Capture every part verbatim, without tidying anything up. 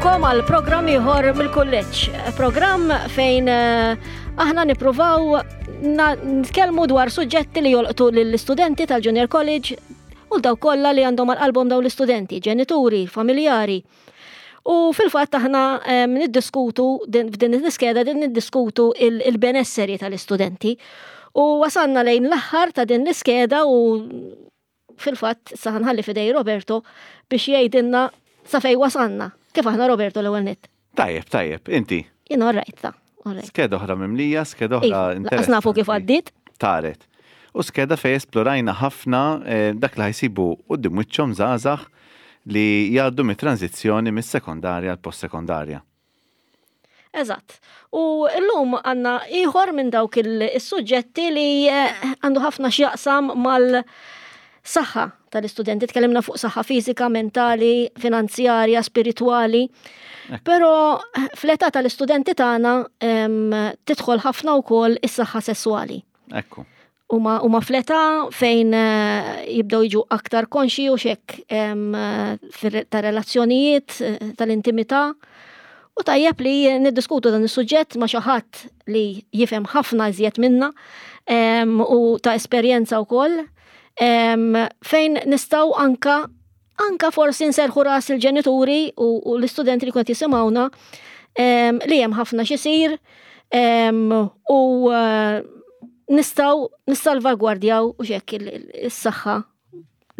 Nilqgħukom għal programm ieħor mill-kulleġġ. Programm fejn eh, aħna nippruvaw nitkellmu dwar suġġetti li jolqtu lill-istudenti tal-Junior College u dawk kollha li għandhom għal qalbhom dawn l-istudenti, ġenituri, familjari. U fil-fatt aħna niddiskutu f'din l-iskeda din niddiskutu il-benesseri tal-istudenti. U wasanna lejn l-aħħar ta' din l-iskeda u fil-fatt sa nħalli f'idejn Roberto biex jgħidilna sa fejn wasanna. Kif aħna, Roberto, l-ewwel nett? Tajjeb, tajjeb, inti? Jien all right, ta' Skeda oħra mimlija, skeda oħra. Iva, lanqas nafu kif għaddiet. Taret. U skeda fej esplorajna ħafna eh, dak li ħa jsibu quddiem wiċċhom żgħażagħ li jgħaddu mit-tranzizzjoni mis-sekondarja għal post-sekondarja. Eżatt. U llum għandna ieħor minn dawk il-suġġetti li eh, għandu ħafna x'jaqsam mal-saħħa tal-istudenti. Tkellimna fuq saħħa fiżika, mentali, finanzjarja, spiritwali. Però eh, fl-età tal-istudenti tagħna tidħol ħafna wkoll is-saħħa sesswali. Ekku. Huma huma fl-età fejn eh, jibdew jiġu aktar konxi u xek ta' relazzjonijiet, eh, tal-intimità. U tajjeb li niddiskutu dan is-suġġett ma' xi ħadd li jifhem ħafna iżjed minna u ta' esperjenza wkoll fejn nistgħu anka anka forsi nserħu ras il-ġenituri u, u l-istudenti li kont jisimgħuna li hemm ħafna x'isir u eh, nistgħu nissalvagwardjaw u xek is-saħħa,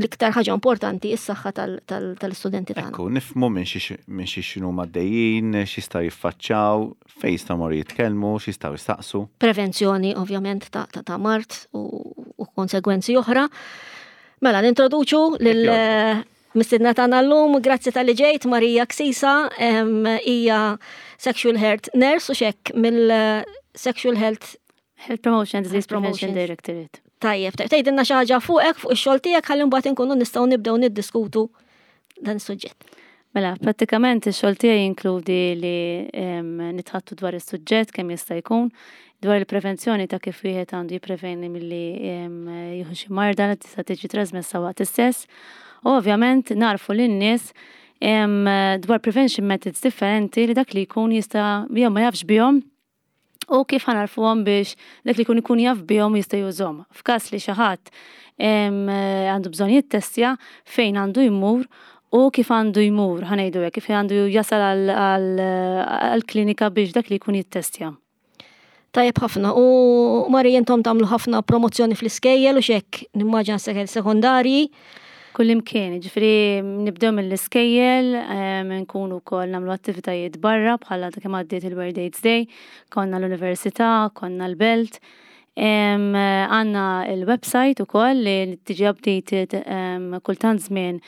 l-iktar ħaġa importanti, is-saħħa tal-istudenti tagħna. Ekku, nifhmu minn xi x'inhu għaddejjin, x'jistgħu jiffaċċjaw, fejn jistgħu morru jitkellmu, x'jistgħu jistaqsu. Prevenzjoni ovvjament ta', ta, ta mard u, u konsegwenzi oħra. Mela, nintroduċu lil mistiedna tagħna llum, grazzi talli ġejt, Marija Ksisa, hija sexual health nurse u xek mill-Sexual Health Health Promotion Disease Prevention Directorate. Tajjeb, tajjeb, tgħidilna xi ħaġa fuqek, fuq ix-xogħol tiegħek, ħalli mbagħad inkunu nistgħu nibdew niddiskutu dan is-suġġett. Mela, prattikament ix-xogħol tiegħi jinkludi li nitħaddtu dwar is-suġġett kemm jista' jkun, dwar il-prevenzjoni ta' kif wieħed għandu jippreveni milli jieħu xi marda li tista' tiġi trasmessa waqt is-sess. U ovvjament nagħrfu lin-nies dwar prevention methods differenti li dak li jkun jista' jew ma jafx bihom u kif ħa ngħarrfuhom biex dak li jkun ikun jaf bihom jista' jużhom. F'każ li xi ħadd għandu bżonn jittestja, fejn għandu jmur u kif għandu jmur, ħa ngħidu hekk, kif għandu jasal għal-klinika biex dak li jkun jittestja. Tajjeb ħafna. U Mari, intom tagħmlu ħafna promozzjoni fl-iskejjel u xek, nimmaġina sekondarji. Kullimkien, ġifieri nibdew mill-iskejjel, nkunu wkoll nagħmlu attivitajiet barra bħala ta' kemm għaddiet il-World AIDS Day, konna l-università, konna l-belt. Għandna il-website ukoll li tiġi updated kultant żmien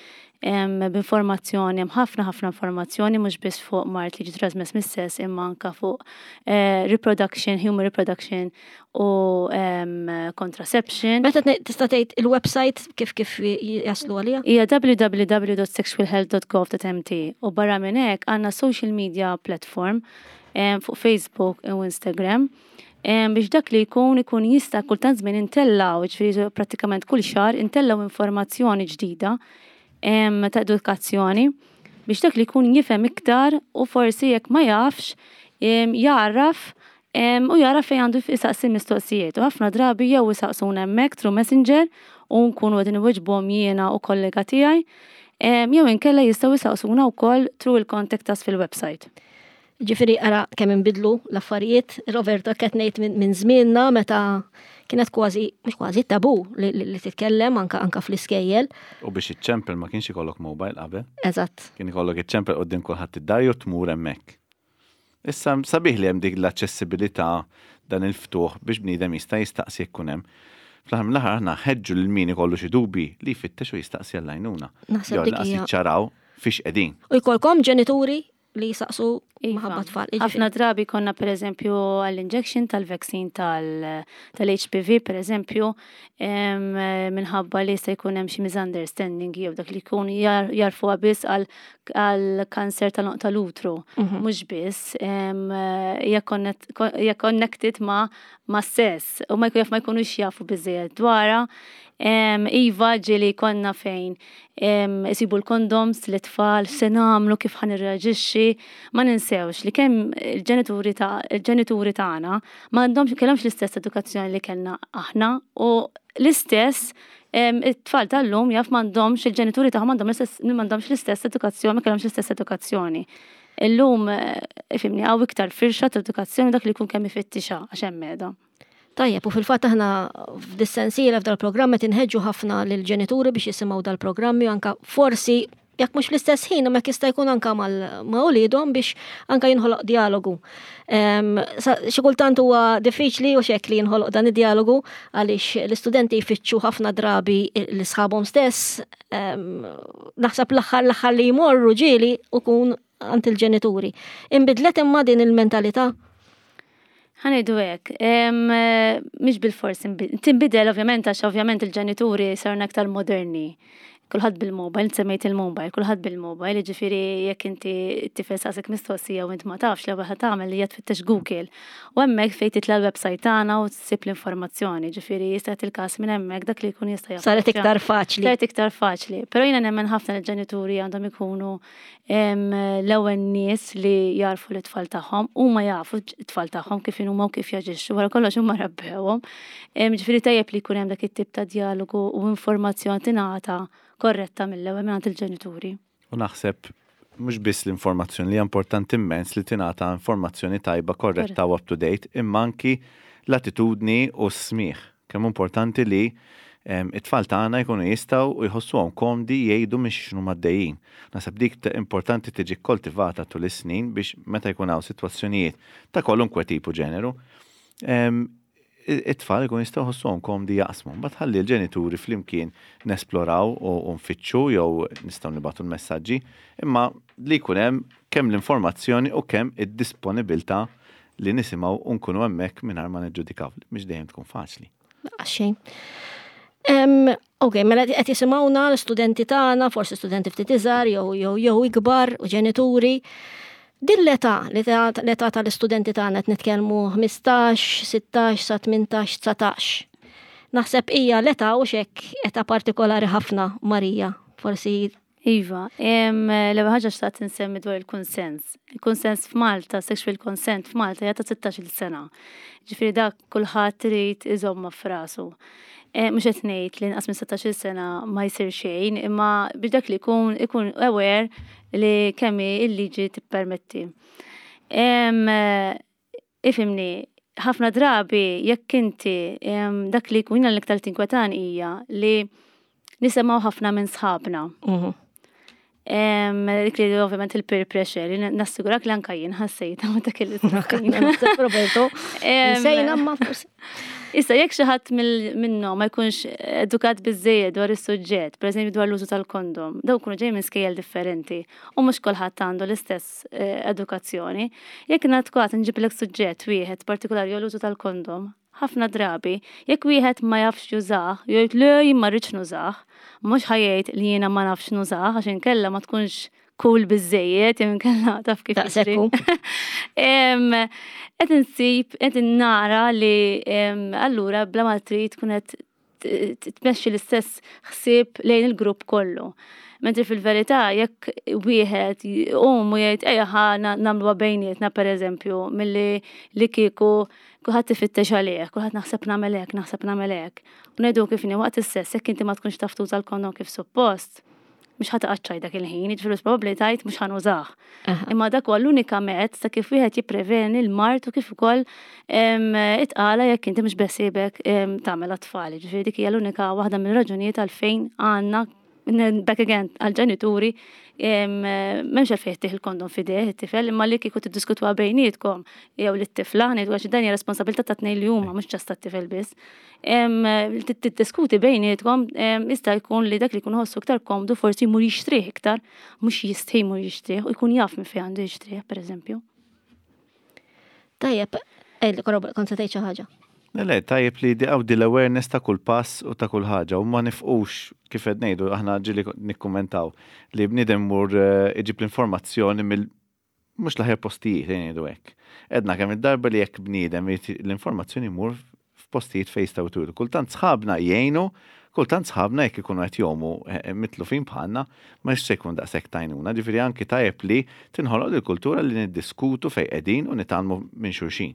b'informazzjoni, hemm ħafna ħafna informazzjoni mhux biss fuq mard li ġi trasmess mis-sess imma anka fuq eh, reproduction, human reproduction u contraception. Meta tista' tgħid il-website kif kif jaslu għalija? Hija w w w dot sexualhealth dot gov dot m t u barra minn hekk għandna social media platform fuq Facebook u Instagram biex dak li jkun ikun jista' kultant żmien intellaw, ġifieri prattikament kull xahar intellaw informazzjoni ġdida ta' edukazzjoni biex dak li jkun jifhem iktar u forsi jekk ma jafx jarraf u jara fejn għandu jisaqsi mistoqsijiet. U ħafna drabi jew isaqsuna hemmhekk through Messenger u nkunu qegħdin inwiġbuhom jiena u kollega tiegħi, jew inkella jistgħu jisaqsuna wkoll through il-contact us fil-website. Ġifieri ara kemm inbidlu l-affarijiet, Roberto, qed ngħid minn żmienna meta kienet kważi, mhux kważi, tabu li, li titkellem anka anka fl-iskejjel. U biex iċċempel ma kienx ikollok mobile qabel. Eżatt. Kien ikollok iċċempel quddiem kulħadd id-dar jew tmur hemmhekk. Issa sabiħ li hemm dik l-aċċessibilità, dan il-ftuħ biex bniedem jista' jistaqsi jekk hemm. Fl-aħħar mill-aħħar aħna ħeġġu lil min ikollu xi dubi li jfittex u jistaqsi għall-għajnuna. Naħseb Jew dik lanqas hija- jiċċaraw fiex qegħdin. U jkollkom ġenituri li jisaqsu Iva. maħabba tfal. Ħafna drabi konna per eżempju għall-injection tal-vaccine tal-H P V per eżempju, em, minħabba li jista' jkun hemm xi misunderstanding jew dak li jkun jar- jarfuha biss għal għal kanser tal- tal-utru. Mhux biss, em, hija connect- hija connected ma' ma' sess u ma jkun jaf ma jkunux jafu biżejjed dwarha. Iva, ġieli konna fejn isibu l-kondoms l-tfal, se nagħmlu, kif ħa nirreaġixxi, ma ninsewx li kemm il-ġenituri ta' il-ġenituri tagħna ma għandhomx kellhomx l-istess edukazzjoni li kellna aħna u l-istess it-tfal tal-lum jaf m'għandhomx il-ġenituri tagħhom m'għandhom l-istess m'għandhomx l-istess edukazzjoni, ma kellhomx l-istess edukazzjoni. Illum, ifhimni, hawn iktar firxa ta' edukazzjoni, dak li jkun kemm ifittixha għax hemm qiegħda. Tajjeb, u fil-fatt aħna f'dis-sensiela f'dal-programm qed inħeġġu ħafna lill-ġenituri biex jisimgħu dal-programmi, anka forsi jekk mhux fl-istess ħin, imma jista' jkun anka ma' uliedhom biex anka jinħoloq dialogu. Xi kultant huwa diffiċli u xek li jinħoloq dan id-dialogu għaliex l-istudenti jfittxu ħafna drabi l-sħabhom stess. Naħseb l-aħħar l-aħħar li jmorru ġieli ukun għand il-ġenituri. Inbidlet imma din il-mentalità? Ħa ngħidu hekk, mhix bil-fors tinbidel ovvjament, għax ovvjament il-ġenituri sarna aktar moderni. Kulħadd bil-mobile, semmejt il-mobile, kulħadd bil-mobile, ġifieri jekk inti t-tifel saqsek mistoqsija u int ma tafx, l-ewwel ħa tagħmel li hija tfittex Google. U hemmhekk fejn titla' l-website tagħna u tsib l-informazzjoni, ġifieri jista' il-każ minn hemmhekk dak li jkun jista' jaf. Saret iktar faċli. Saret iktar faċli. Però jiena nemmen ħafna li l-ġenituri għandhom ikunu l-ewwel nies li jarfu l-tfal tagħhom, huma jafu t-tfal tagħhom kif huma u kif jaġixxu, wara kollox huma rabbewhom. Ġifieri tajjeb li jkun hemm dak it-tip ta' dialogu u informazzjoni tingħata korretta mill-ewwel mingħand il-ġenituri. U naħseb mhux biss l-informazzjoni li hija importanti immens li tingħata informazzjoni tajba, korretta u up to date, imma anki l-attitudni u s-smigħ. Kemm importanti li it-tfal tagħna jkunu jistgħu u jħossuhom komdi jgħidu minn x'inhu għaddejjin. Naħseb dik importanti tiġi koltivata tul is-snin biex meta jkun hawn sitwazzjonijiet ta' kwalunkwe tipu ġeneru, it-tfal ikun jistgħu jħossuhom komdi jaqsmu. Mbagħad ħalli l-ġenituri flimkien nesploraw u nfittxu jew nistgħu nibagħtu l-messaġġi, imma li jkun hemm kemm l-informazzjoni u kemm id-disponibilità li nisimgħu u nkunu hemmhekk mingħajr ma niġġudikaw, mhix dejjem tkun faċli. Xejn. Ok, mela qed jisimgħuna l-istudenti tagħna, forsi studenti ftit iżgħar jew jew jew ikbar u ġenituri. Din l-età, l-età tal-istudenti tagħna, qed nitkellmu ħmistax, sittax sa tmintax, dsatax. Naħseb hija l-età u xek età partikolari ħafna, Marija, forsi. Iva, l-ewwel ħaġa xtaqt insemmi dwar il-konsens. Il-konsens f'Malta, sexual consent f'Malta hija ta' sittax-il sena. Ġifieri dak kulħadd irid iżomma f'rasu. Mhux qed ngħid li inqas minn sittax-il sena ma jsir xejn, imma biex dak li jkun ikun aware li kemm il-liġi tippermetti. Ifhimni, ħafna drabi jekk inti dak li jkun l-iktar tinkwetan hija li nisimgħu ħafna minn sħabna. Mhm. Dik li ovvjament il-peer pressure, li nassigurak li anka jien ħassejta meta kelli Roberto. Sejna ma forsi. Issa jekk xi ħadd minnhom ma jkunx edukat biżejjed dwar is-suġġett, pereżempju dwar l-użu tal-kondom, dawn ikunu ġej minn skejjel differenti u mhux kulħadd għandu l-istess eh, edukazzjoni. Jekk nagħtkwat nġiblek suġġett wieħed partikolari jew l-użu tal-kondom, ħafna drabi, jekk wieħed ma jafx jużah, jgħid le, jien ma rridx nużah, mhux ħa jgħid li jiena ma nafx nużah għax inkella ma tkunx cool biżejjed, jew inkella taf kif jiġri. Qed insib, qed nara li allura bla ma trid tkun qed tmexxi l-istess ħsieb lejn il-grupp kollu. Mentri fil-verità jekk wieħed jqum u jgħid ejja ħa nagħmluha bejnietna, pereżempju, milli li kieku kulħadd ifittex għalih, kulħadd naħseb nagħmel hekk, naħseb nagħmel hekk. U ngħidu kif inhi waqt is-sess, jekk inti ma tkunx taf tuża l-kondom kif suppost, mhux ħa taqgħod dak il-ħin, jiġifieri probabbli tgħid mhux ħa nużah. Imma dak huwa l-unika mezz ta' kif wieħed jippreveni l-mard u kif ukoll it-tqala jekk inti mhux beħsiebek tagħmel għat-tfal. Ġifieri dik hija l-unika waħda mill-raġunijiet għalfejn għandna, back again għal-ġenituri, m'hemmx għalfejn tih il-kondom f'idejh it-tifel, imma li kieku tiddiskutuha bejnietkom jew lit-tifla, ngħidu għax dan hija responsabilità ta' tnejn li huma, mhux ġast tat-tifel biss. Tiddiskuti bejnietkom, jista' jkun li dak li jkun ħossu iktar komdu forsi jmur jixtrih iktar, mhux jistħi jmur jixtrih u jkun jaf minn fejn għandu jixtrih, pereżempju. Tajjeb, kont se tgħid xi ħaġa. Le, le, tajjeb li di għaw di l-awareness ta' kull pass u ta' kull ħaġa u ma nifqux kif qed ngħidu aħna ġieli nikkummentaw li bniedem mur eh, iġib l-informazzjoni mill mhux l-aħjar postijiet, ngħidu hekk. Edna kemm id-darba li jekk bniedem l-informazzjoni mur f'postijiet fejn jistgħu turu. Kultant sħabna jgħinu, Kultant sħabna jekk ikunu qed jgħumu eh, mitlufin bħalna, ma se jkun daqshekk t'għajnuna. Ġifieri anki tajjeb li tinħoloq il-kultura li niddiskutu fejn qegħdin u nitgħallmu minn xulxin.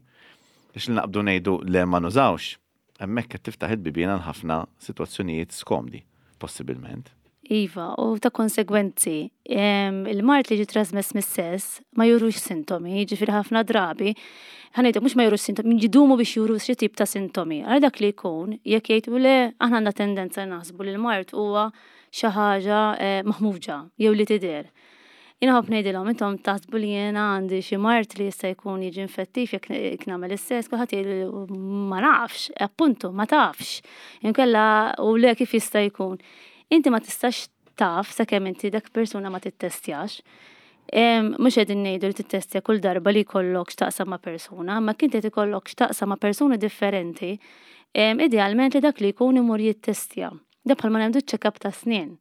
Biex li naqbdu ngħidu le ma nużawx, hemmhekk qed tiftaħ il-bibien għal ħafna sitwazzjonijiet skomdi, possibilment. Iva, u ta' konsegwenzi, il-mard li ġi trasmess mis-sess ma jurux sintomi, ġifieri ħafna drabi, ħa ngħidu mhux ma jurux sintomi, jidumu biex juru xi tip ta' sintomi. Għal dak li jkun, jekk jgħidu le, aħna għandna tendenza naħsbu li l-mard huwa xi ħaġa eh, maħmuġa jew li tidher. Jiena nħobb ngħidilhom intom taħsbu li jiena għandi xi mard li jista' jkun jiġi infettiv jekk nagħmel is-sess, kulħadd jgħid ma nafx, appuntu ma tafx. Inkella u le kif jista' jkun. Inti ma tistax taf sakemm inti dak persuna ma tittestjax. Mhux qegħdin ngħidu li tittestja kull darba li jkollok x'taqsam ma' persuna, ma kien qed ikollok x'taqsam ma' persuni differenti, idealment li dak li jkun imur jittestja. Da bħalma nagħmlu check-up ta' snin.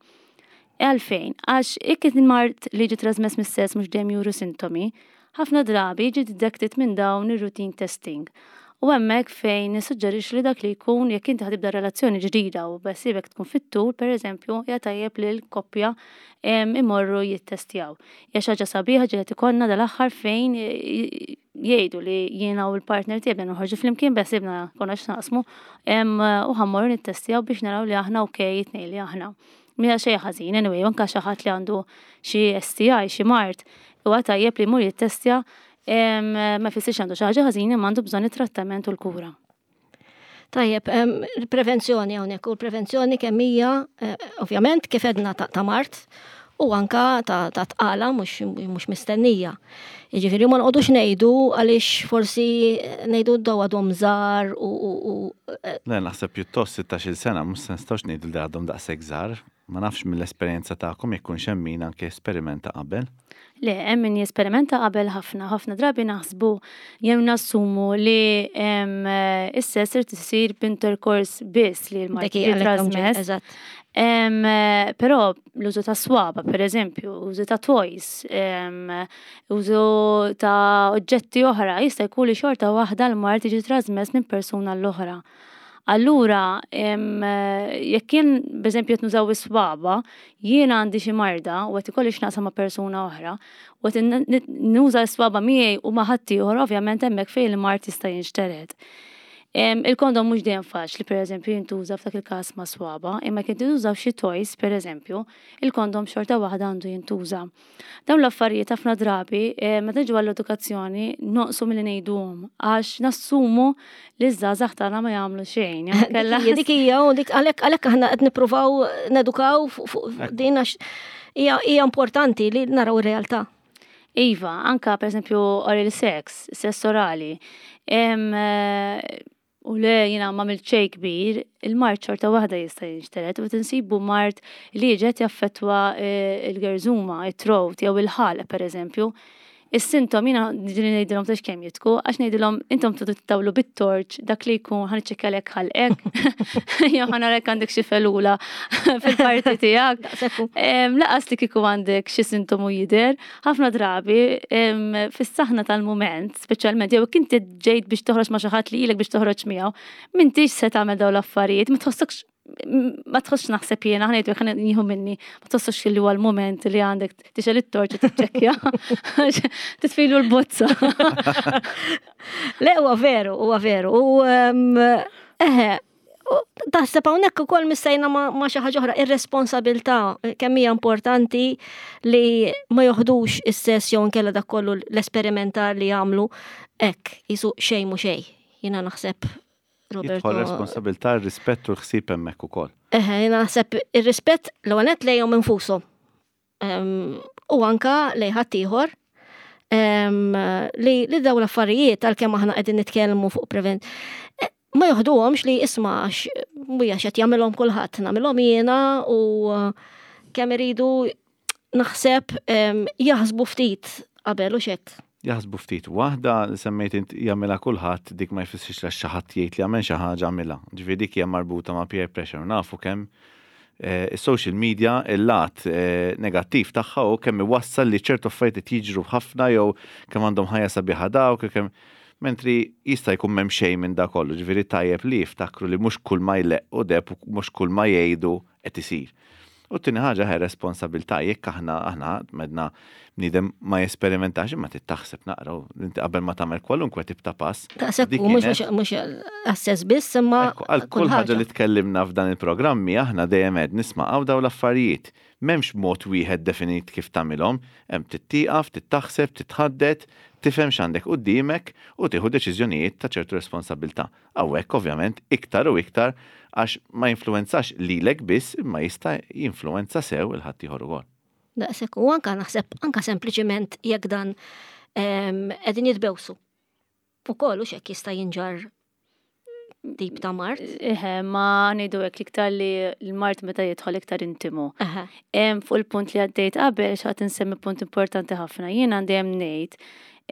Għalfejn, għax jekk il-mard li ġi trasmess mis-sess mhux dejjem juru sintomi, ħafna drabi ġi detected minn dawn ir-routine testing. U hemmhekk fejn nissuġġerix li dak li jkun jekk inti ħa tibda relazzjoni ġdida u beħsiebek tkun fit-tul, pereżempju, hija tajjeb li l-koppja imorru jittestjaw. Hija xi ħaġa sabiħa ġiet ikollna dal-aħħar fejn jgħidu li jiena u l-partner tiegħi bdejna noħorġu flimkien beħsiebna konna x'naqsmu u ħa mmorru nittestjaw biex naraw li aħna okej it-tnejn li aħna. Mija xejn ħażin, anyway, anke xi ħadd li għandu xi S T I, xi mard, huwa tajjeb li jmur jittestja, ma jfissirx għandu xi ħaġa ħażin imma għandu bżonn it-trattament u l-kura. Tajjeb, il-prevenzjoni hawnhekk u l-prevenzjoni kemm hija eh, ovvjament kif edna ta' mard u anka ta' tqala mhux mistennija. Jiġifieri ma noqogħdux ngħidu għaliex forsi ngħidu daw għadhom żgħar u eh, Le, naħseb pjuttost sittax-il sena mhux se nistgħux ngħidu li għadhom daqshekk żgħar. Ma nafx mill-esperjenza tagħkom jekk hemm min anke esperimenta qabel. Le, hemm min jesperimenta qabel ħafna, ħafna drabi naħsbu jew nassumu li is-sess irid isir b'intercourse biss li l-mard jitrasmess. Però l-użu ta' swaba, per eżempju, użu ta' toys, użu ta' oġġetti oħra, jista' jkun li xorta waħda l-mard jiġi trasmess minn persuna l-oħra. Allura, jekk jien, b'eżempju, qed nużaw is-swaba, jiena għandi xi marda u qed ikolli x'naqsam ma' persuna oħra, u qed nuża s-swaba miegħi u ma' ħaddieħor, ovvjament hemmhekk fejn il-mard jista' jinxtered. Il-kondom mhux dejjem faċli, pereżempju, jintuża f'dak il-każ ma' swaba, imma kien tintużaw xi toys, pereżempju, il-kondom xorta waħda għandu jintuża. Dawn l-affarijiet ħafna drabi, meta niġu għall-edukazzjoni, noqsu milli ngħiduhom għax nassumu li ż-żgħażagħ tagħna ma jagħmlu xejn. Dik hija u dik għalhekk għalhekk aħna qed nippruvaw nedukaw fuq din għax hija importanti li naraw ir-realtà. Iva, anka per eżempju oral sex, sess orali. U le jiena ma xejn kbir, il-mard xorta waħda jista' jinxtered u tinsibu mard li ġed jaffettwa eh, il-gerżuma, it-throat jew il-ħalq per eżempju. Is-sintom jiena ġieli ngħidilhom tax kemm jidħku, għax ngħidilhom intom tridu tittawlu bit-torch dak li jkun ħa niċċekkjalek ħalqek, jew ħa narek għandek xi felula fil-parti tiegħek. Lanqas li kieku għandek xi sintomu jidher, ħafna drabi fis-saħna tal-mument, speċjalment jew inti ġejt biex toħroġ ma' xi ħadd li ilek biex toħroġ miegħu, m'intix se tagħmel dawn l-affarijiet, ma tħossokx ma tħossx naħseb jiena, ħa ngħidu ħa nieħu minni, ma tħossx li huwa l-moment li għandek tixgħel it-torċ u tiċċekkja. Titfilu l-bozza. Le, huwa veru, huwa veru. U eħe, taħseb hawnhekk ukoll missejna ma' xi ħaġa oħra, ir-responsabilità kemm hija importanti li ma joħdux is-sess jew inkella dak kollu l-esperimentar li jagħmlu hekk jisu xejn mhu xejn. Jiena naħseb Roberto. Jidħol responsabilità, rispett u l-ħsieb hemmhekk ukoll. Eħe, jiena naħseb ir-rispett l-ewwel lejhom infushom. U anka lejn ħaddieħor li li dawn l-affarijiet għalkemm aħna qegħdin nitkellmu fuq prevent e, ma joħduhomx li isma' għax mhuja x'qed jagħmilhom kulħadd, nagħmilhom jiena u kemm iridu naħseb jaħsbu ftit qabel u xek. Jaħsbu ftit. Waħda li semmejt int jagħmilha kulħadd, dik ma jfissirx li xi ħadd jgħid li jagħmel xi ħaġa għamilha. Ġifieri dik hija marbuta ma' peer pressure. Nafu kemm eh, is-social media il-lat eh, negattiv tagħha u kemm iwassal li ċertu affarijiet jiġru ħafna jew kemm għandhom ħajja sabiħa dawk, kemm Mentri jista' jkun m'hemm xejn minn da kollu, ġifieri tajjeb li jiftakru li mhux kull ma jleqq u deb u mhux kull ma jgħidu qed isir. U t-tieni ħaġa hi responsabilità, jekk aħna aħna medna bniedem ma jesperimentax, imma trid naqra u inti qabel ma tagħmel kwalunkwe tip ta' pass. Daqshekk dik u mhux kienet- mhux għas-sess biss, imma Ekku, għal kull ħaġa li tkellimna f'dan il-programmi aħna dejjem qed nisma' għaw daw l-affarijiet. M'hemmx mod wieħed definit kif tagħmilhom, hemm tittieqaf, tittaħseb, titħaddet, tifhem x'għandek quddiemek u tieħu deċiżjonijiet ta' ċertu responsabilità. Hawnhekk ovvjament iktar u iktar għax ma jinfluwenzax lilek biss, imma jista' jinfluwenza sew il-ħaddieħor ukoll. Daqshekk u anka naħseb anka sempliċiment jekk dan em, qegħdin jitbewsu. Ukoll u x'hekk jista' jinġarr tip ta' mard. Eħe, ma ngħidu hekk iktar li l-mard meta jidħol iktar intimu. Eħe. Em, fuq il-punt li għaddejt qabel, xtaqt insemmi punt importanti ħafna. Jien għandi hemm ngħid,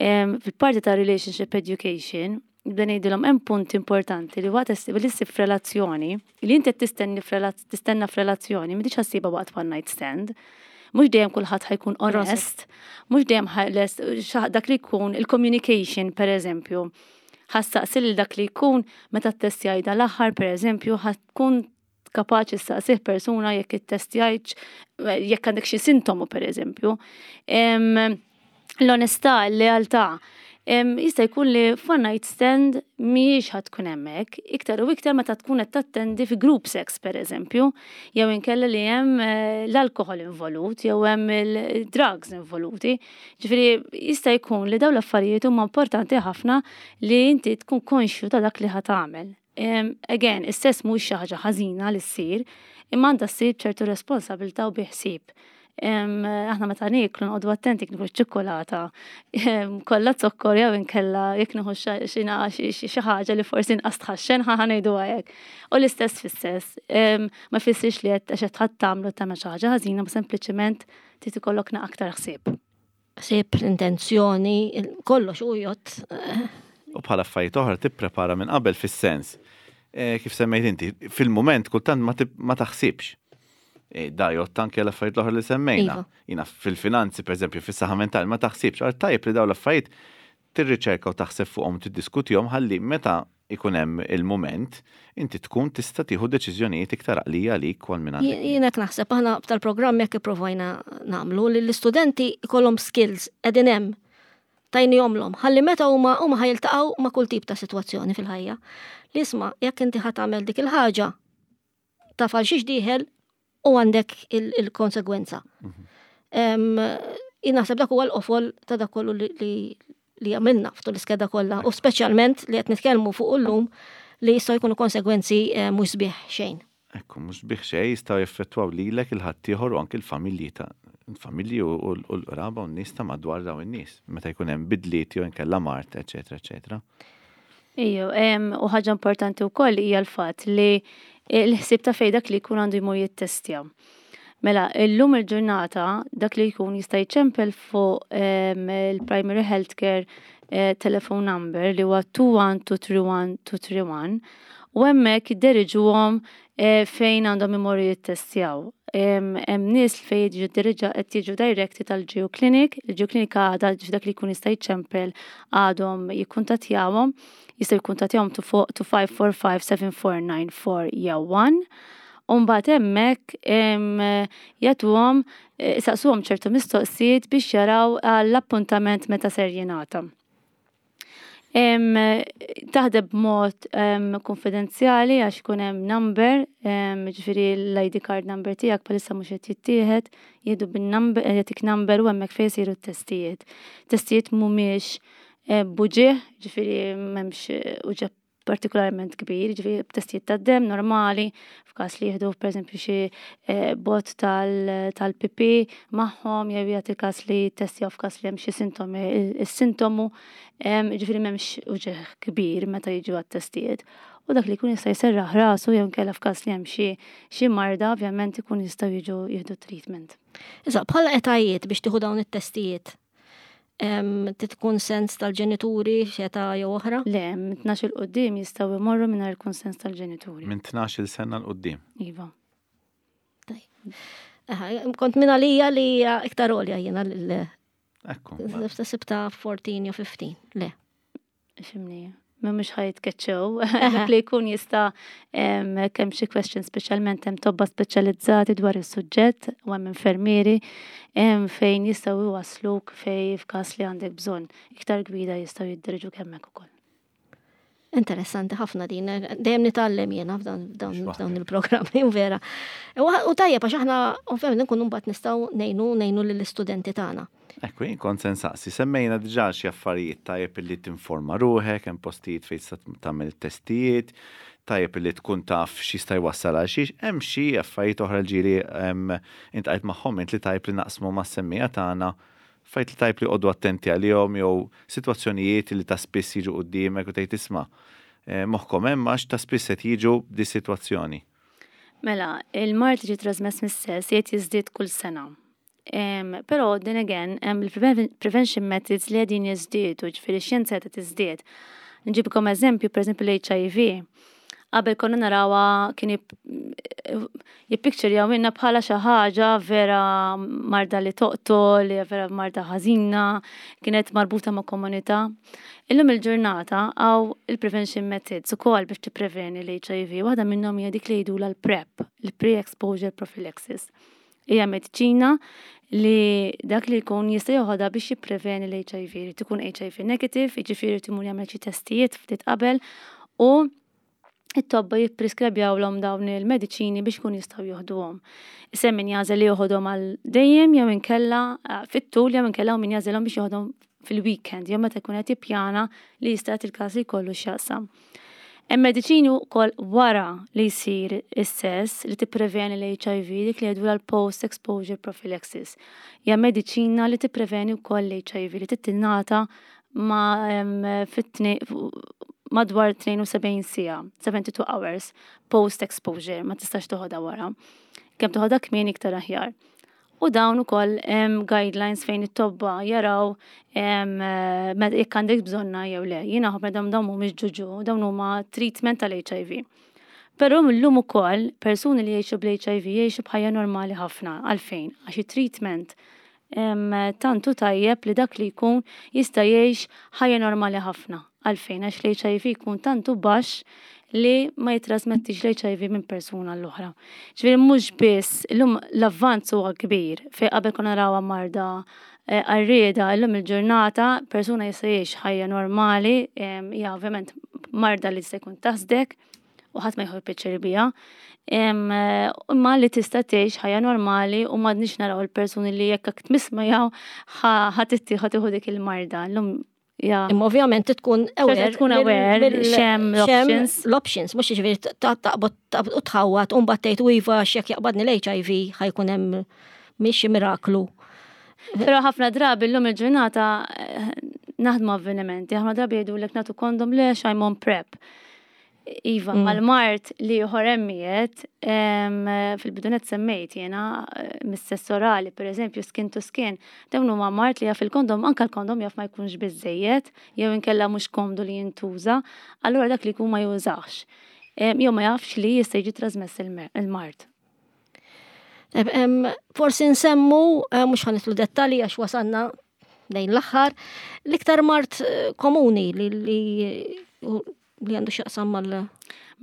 em, fil-parti ta' relationship education, nibda ngħidilhom hemm punt importanti li waqt li ssib f'relazzjoni, li inti qed tistenni f'relaz- tistenna f'relazzjoni, m'intix ħa ssibha waqt one night stand. Mhux dejjem kulħadd ħa jkun onest, mhux dejjem ħa- lest- xa- dak li jkun il-communication per eżempju. Ħa ssaqsi lil dak li jkun meta ttestjajt l-aħħar per eżempju, ħa tkun kapaċi ssaqsih persuna jekk ittestjajtx, jekk għandek xi sintomu per eżempju. Em, L-onestà, l-lealtà. Em, Jista' jkun li f'one night stand mhijiex ħa tkun hemmhekk, iktar u iktar meta tkun qed tattendi fi group sex per eżempju, jew inkella li hemm eh, l-alkohol involut, jew hemm il-drugs involuti. Ġifieri jista' jkun li dawn l-affarijiet huma importanti ħafna li inti tkun konxju ta' dak li ħa tagħmel. Em, Again, is-sess mhux xi ħaġa ħażina li ssir, imma għandha ssir b'ċertu responsabilità u bi ħsieb. Em, Aħna meta nieklu noqogħdu attenti jekk nieħu ċ-ċikkulata, em, kollha zokkor jew inkella jekk nieħu xi xi xi xi ħaġa li forsi inqas tħaxxen ħa ngħidu hekk. U l-istess fis-sess. Em, Ma jfissirx li qed għax qed ħadd tagħmlu tagħmel xi ħaġa ħażina, ma sempliċement trid ikollok aktar ħsieb. Ħsieb, l-intenzjoni, il- kollox u jgħodd. eh, U bħala affarijiet oħra tipprepara minn qabel fis-sens. Eh, Kif semmejt inti, fil-moment kultant ma tib- ma taħsibx. Eh, Da jgħodd anke l-affarijiet l-oħra li semmejna. Iva. Jina fil-finanzi, per eżempju, fis-saħħa mentali, ma taħsibx. Għal tajjeb li dawn l-affarijiet tirriċerka u taħseb fuqhom tiddiskutihom ħalli meta ikun hemm il-moment inti tkun tista' tieħu deċiżjonijiet iktar għaqlija għalik u għal min għandek. Jien hekk naħseb aħna tal-programm jekk ipprovajna nagħmlu li l-istudenti ikollhom skills qegħdin hemm tajnihomlhom ħalli meta huma huma ħa jiltaqgħu ma' kull tip ta' sitwazzjoni fil-ħajja. Li isma' jekk inti ħa tagħmel dik il-ħaġa taf għal xiex dieħel u għandek il- il-konsegwenza. Em, Jien naħseb dak huwa l-qofol ta' dak kollu li, li, li għamilna f'tul l-iskeda kollha u speċjalment li qed nitkellmu fuq illum li jistgħu jkunu konsegwenzi eh, mhux sbieħ xejn. Ekku, mhux sbieħ xejn jistgħu jeffettwaw lilek il-ħaddieħor u anke l-familji ta' il-familji u u l-qraba u n-nies ta' madwar dawn in-nies. Meta jkun hemm bidliet jew inkella mard, eċetera, eċetera. Ejju, em, u ħaġa importanti wkoll hija l-fatt li l-ħsieb ta' fej dak li jkun għandu jmur jittestja. Mela, illum il-ġurnata dak li jkun jista' jċempel fuq em, il-primary healthcare eh, telephone number li huwa two one two three one two three one u hemmhekk jidderiġuhom eh, fejn għandhom imorru jittestjaw. Em, Hemm nies fejn jiġu diriġa qed jiġu directed tal-G U Clinic, il-G U Clinic għadha dak li jkun jista' jċempel għadhom jikkuntattjawhom, jistgħu jikkuntattjawhom two five four five seven four nine four jew one. U mbagħad hemmhekk em, jagħtuhom eh, saqsuhom ċertu mistoqsijiet biex jaraw l-appuntament meta ser jingħata. Em, Taħdem b'mod em, konfidenzjali għax ikun hemm number, em, ġifieri l-I D card number tiegħek bħalissa mhux qed jittieħed, jieħdu bin-number, jagħtik number u hemmhekk fejn isiru t-testijiet. Testijiet mhumiex eh, b'uġigħ, ġifieri m'hemmx eh, uġigħ partikolarment kbir, ġifieri testijiet tad-dem normali, f'każ li jieħdu pereżempju xi eh, bot tal- tal-P P magħhom jew jagħti każ li testjaw f'każ li hemm xi sintomi is-sintomu, em, ġifieri m'hemmx uġigħ kbir meta jiġu għat-testijiet. U dak li jkun jista' jserraħ rasu jew inkella f'każ li hemm xi xi marda ovvjament ikun jistgħu jiġu jieħdu treatment. Issa, bħala etajiet biex tieħu dawn it-testijiet, em, trid tkun sens tal-ġenituri x'età jew oħra? Le, minn tnax 'il quddiem jistgħu jmorru mingħajr il-kunsens tal-ġenituri. Minn tnax-il sena 'l quddiem. Iva. Aha, kont minn għalija li hija iktar għolja jiena l Ekku. sibta fourteen jew fifteen. Le. Ifhimni, mhux ħa jitkeċċew, dak li jkun jista' kemm xi question, speċjalment hemm tobba speċjalizzati dwar is-suġġett u hemm infermieri fejn jistgħu jwassluk fej f'każ li għandek bżonn iktar gwida, jistgħu jidderġu hemmhekk ukoll. Interessanti ħafna din, dejjem nitgħallem jiena f'dawn il-programmi, u vera. U tajjeb għax aħna ovvjament nkunu mbagħad nistgħu ngħinu ngħinu lill-istudenti tagħna. Ekku, jien kont se nsaqsi, semmejna diġà xi affarijiet: tajjeb illi tinforma ruħek, hemm postijiet fejn tista' tagħmel testijiet, tajjeb illi tkun taf x'jista' jwassal għal xiex, hemm xi affarijiet oħra ġieli iltqajt magħhom int li tajjeb li naqsmu mas-semmiegħa tagħna, fajt li tajjeb li joqogħdu attenti għalihom jew sitwazzjonijiet li ta' spiss jiġu quddiemek u tgħid, "Isma', eh, moħħkom hemm għax ta' spiss qed jiġu di sitwazzjoni"? Mela, il-mard li ġi trasmess mis-sess jgħid jiżdied kull sena. Um, però, then again, hemm il-prevention methods li qegħdin jiżdiedu, ġifieri xjenza qed tiżdied. Nġibkom eżempju, per eżempju l-H I V. Qabel konna narawha, kien jippikċerjaw minna bħala xi ħaġa vera marda li toqtol, li vera marda ħażina, kienet marbuta ma' komunità. Illum il-ġurnata hawn il-prevention methods ukoll biex tippreveni l-H I V. Waħda minnhom hija dik li jgħidulha l-PrEP, il-pre-exposure prophylaxis. Hija mediċina li dak li jkun jista' joħodha biex jippreveni l-H I V. Irid ikun H I V negative, jiġifieri imur jagħmel xi testijiet ftit qabel u it-tobba jippreskribjawlhom dawn il-mediċini biex kun jistgħu joħduhom. Issa min jagħżel li joħodhom għal dejjem jew inkella eh, fit-tul jew inkella min jagħżelhom biex joħodhom fil-weekend jew meta jkun qed jippjana li jista' il-każ li jkollu x'jaqsam. Hemm mediċini wkoll wara li jsir is-sess li tippreveni l-H I V, dik li jgħidu l-post exposure prophylaxis. Hija mediċina li tippreveni wkoll l-H I V li titingħata ma fit madwar tnejn u sebgħin siegħa, seventy-two hours post exposure, ma tistax toħodha wara. Kemm toħodha kmieni iktar aħjar. U dawn ukoll hemm guidelines fejn it-tobba jaraw jekk għandek bżonna jew le. Jiena ħafna dawn dawn mhumiex ġuġu, dawn huma treatment tal-H I V. Però millum ukoll persuni li jgħixu bl-H I V jgħixu b'ħajja normali ħafna. Għalfejn? Għax it-treatment tant hu tajjeb li dak li jkun jista' jgħix ħajja normali ħafna. Għalfejn? Għax l-H I V jkun tant hu baxx li ma jitrasmettix l-H I V minn persuna l-oħra. Ġifieri mhux biss, illum l-avvanz huwa kbir, fejn qabel konna narawha marda eh, għarrieda, illum il-ġurnata persuna jista' jgħix ħajja normali, hija ovvjament marda li jista' jkun taħsdek u ħadd ma jieħu pjaċir biha. Imma li tista' tgħix ħajja normali u m'għadniex naraw il-persuni li jekk tmiss miegħu ħa tieħu dik il-marda. Illum. Ja. Imma ovvjament tkun aware. Tkun aware x'hemm l-options. L-options, mhux ġifieri taqbad u tħawat u mbagħad tgħid, "U iva, x'jekk jaqbadni l-H I V ħa jkun hemm mhix miraklu." Però ħafna drabi llum il-ġurnata eh, naħdmu avvenimenti, ħafna drabi jgħidulek nagħtu kondom, le, I'm on PrEP. Iva, mm. mal-mard li ħoremmijiet, fil-bidunet semmejt jena, eh, mis-sess orali, per eżempju, skin to skin, dawn huma mard li jaf il-kondom, anka l-kondom jaf ma jkunx biżejjed, jew inkella mhux komdu li jintuża, allura dak li jkun ma jużax. Jew ma jafx li jista' jiġi trasmess il-mard. Forsi nsemmu, eh, mhux ħa nidħlu dettali għax wasanna lejn l-aħħar, l-iktar mard eh, komuni li li għandu x'jaqsam mal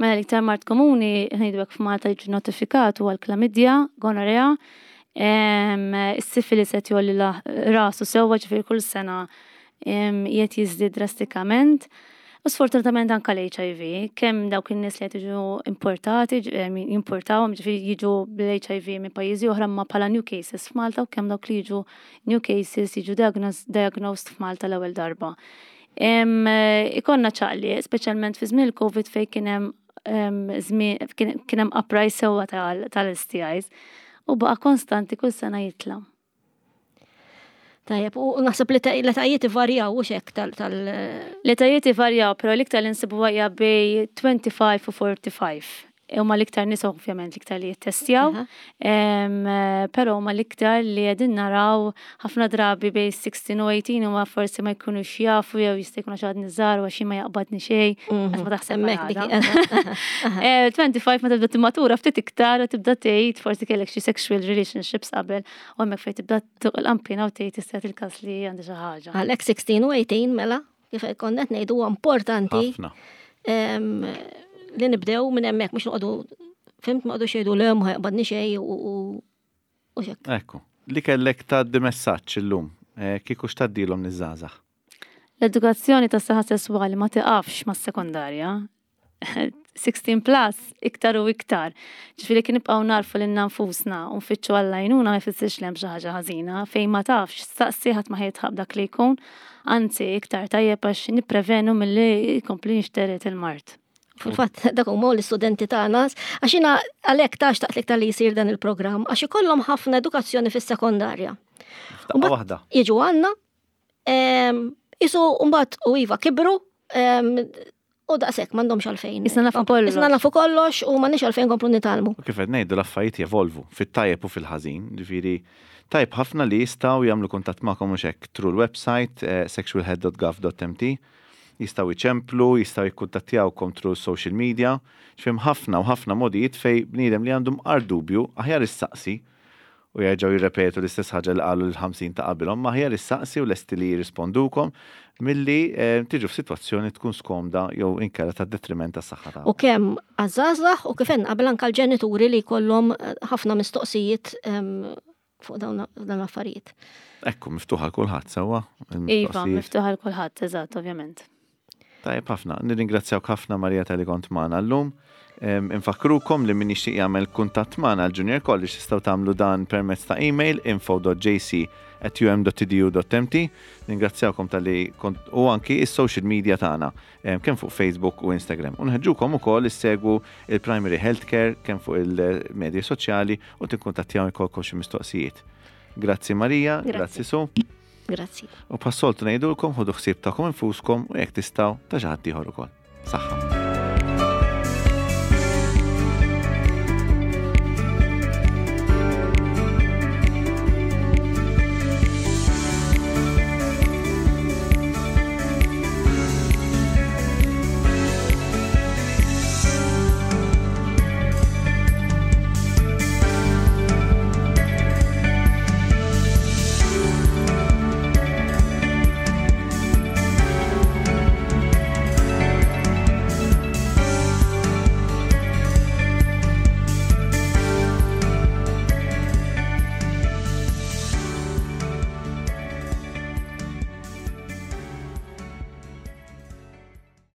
Mela, l-iktar mard komuni, ngħidu f'Malta, jiġu notifikat huwa l-klamidja, gonorrea, is-sifilis qed jgħolli rasu sewwa, ġifieri kull sena qiegħed jiżdied drastikament. U sfortunatament anka l-H I V, kemm dawk in-nies li qed jiġu importati, jimportawhom, ġifieri jiġu bl-H I V minn pajjiżi oħra ma bħala new cases f'Malta, u kemm dawk li jiġu new cases, jiġu diagnosed f'Malta l-ewwel darba. Ikollna ċaqli, speċjalment fi żmien il-Covid fejn kien hemm kien hemm uprise sewwa tal-S T Is u baqa' konstanti kull sena jitla'. Tajjeb, u naħseb li l-etajiet ivarjaw u xek tal- tal L-etajiet ivarjaw, però l-iktar li nsibu hija bejn twenty-five u forty-five. Huma l-iktar nies ovvjament l-iktar li jittestjaw, però huma l-iktar li qegħdin naraw ħafna drabi bejn sixteen u eighteen, huma forsi ma jkunux jafu jew jista' jkun għax għadni żgħar u għax ma jaqbadni xejn, għax ma taħseb. twenty-five ma tibda timmatura ftit iktar u tibda tgħid forsi kellek xi sexual relationships qabel u hemmhekk fejn tibda tuq l-qampina u tgħid, "Jista' il-każ li għandi xi ħaġa." Għalhekk sixteen u eighteen mela. kif konna qed ngħidu, huwa importanti Ħafna. em, li nibdew minn hemmhekk, mhux noqogħdu, fhimt, ma qogħdu xejdu le ma jaqbadni xejn u u u xek. Ekku. Li kellek tgħaddi messaġġ illum, eh, kieku x'tgħaddilhom liż-żgħażagħ? L-edukazzjoni tas saħħa sesswali ma tiqafx mas-sekondarja. sittax plus, iktar u iktar. Ġifieri kien nibqgħu narfu lilna nfusna u nfittxu għall-għajnuna ma jfissirx li hemm xi ħaġa ħażina, fejn ma tafx, staqsi, ħadd ma ħa jidħaq dak li jkun, anzi iktar tajjeb għax nipprevenu milli jkompli jinxtered il-mard. Fil-fatt, dak huma l-istudenti tagħna, għax jiena għalhekk ta' xtaqt iktar li jsir dan il-programm, għax ikollhom ħafna edukazzjoni fis-sekondarja. F'daqqa Mbagħad waħda. Jiġu għandna, em, isu mbagħad u iva kibru, em, u daqshekk m'għandhomx għalfejn. Issa nafu kollox. Issa nafu kollox u m'għandniex għalfejn komplu nitgħallmu. U kif qed ngħidu, l-affarijiet jevolvu fit-tajjeb u fil-ħażin, ġifieri tajjeb ħafna li jistgħu jagħmlu kuntatt magħkom mhux hekk through l-website eh, sexualhealth dot gov dot M T, jistgħu jċemplu, jistgħu jikkuntattjawkom through social media, ġifieri ħafna u ħafna modijiet fej bniedem li għandhom qar dubju aħjar issaqsi u jerġgħu jirrepetu l-istess ħaġa li qalu l-ħamsin ta' qabilhom, ma aħjar issaqsi u lesti li jirrispondukom milli eh, tiġu f'sitwazzjoni tkun skomda jew inkella ta' detriment tas-saħħa tagħhom. U kemm għaż-żgħażagħ u kif qabel anke l-ġenituri li jkollhom eh, ħafna mistoqsijiet em, fuq dawn dawn l-affarijiet. Ekku, miftuħa għal kulħadd sewwa. Iva, il-mistoqsijiet. miftuħa għal kulħadd, eżatt, ovvjament. Tajjeb ħafna. Nirringrazzjawk ħafna, Marija, talli kont magħna llum. Em, Infakkrukom li min jixtieq jagħmel kuntatt magħna għal Junior College tistgħu tagħmlu dan permezz ta' email info dot J C at U M dot E D U dot M T. Ningrazzjawkom talli kont u anki is-social media tagħna em, kemm fuq Facebook u Instagram. U nħeġġukom ukoll issegwu il-Primary Healthcare kemm fuq il-medja soċjali u tikkuntattjaw jkollkom xi mistoqsijiet. Grazzi, Marija, Grazzi. grazzi Su. Grazzi. U bħas-soltu ngħidulkom ħudu ħsieb tagħkom infuskom u jekk tistgħu ta' xi ħadd ieħor ukoll. Saħħa.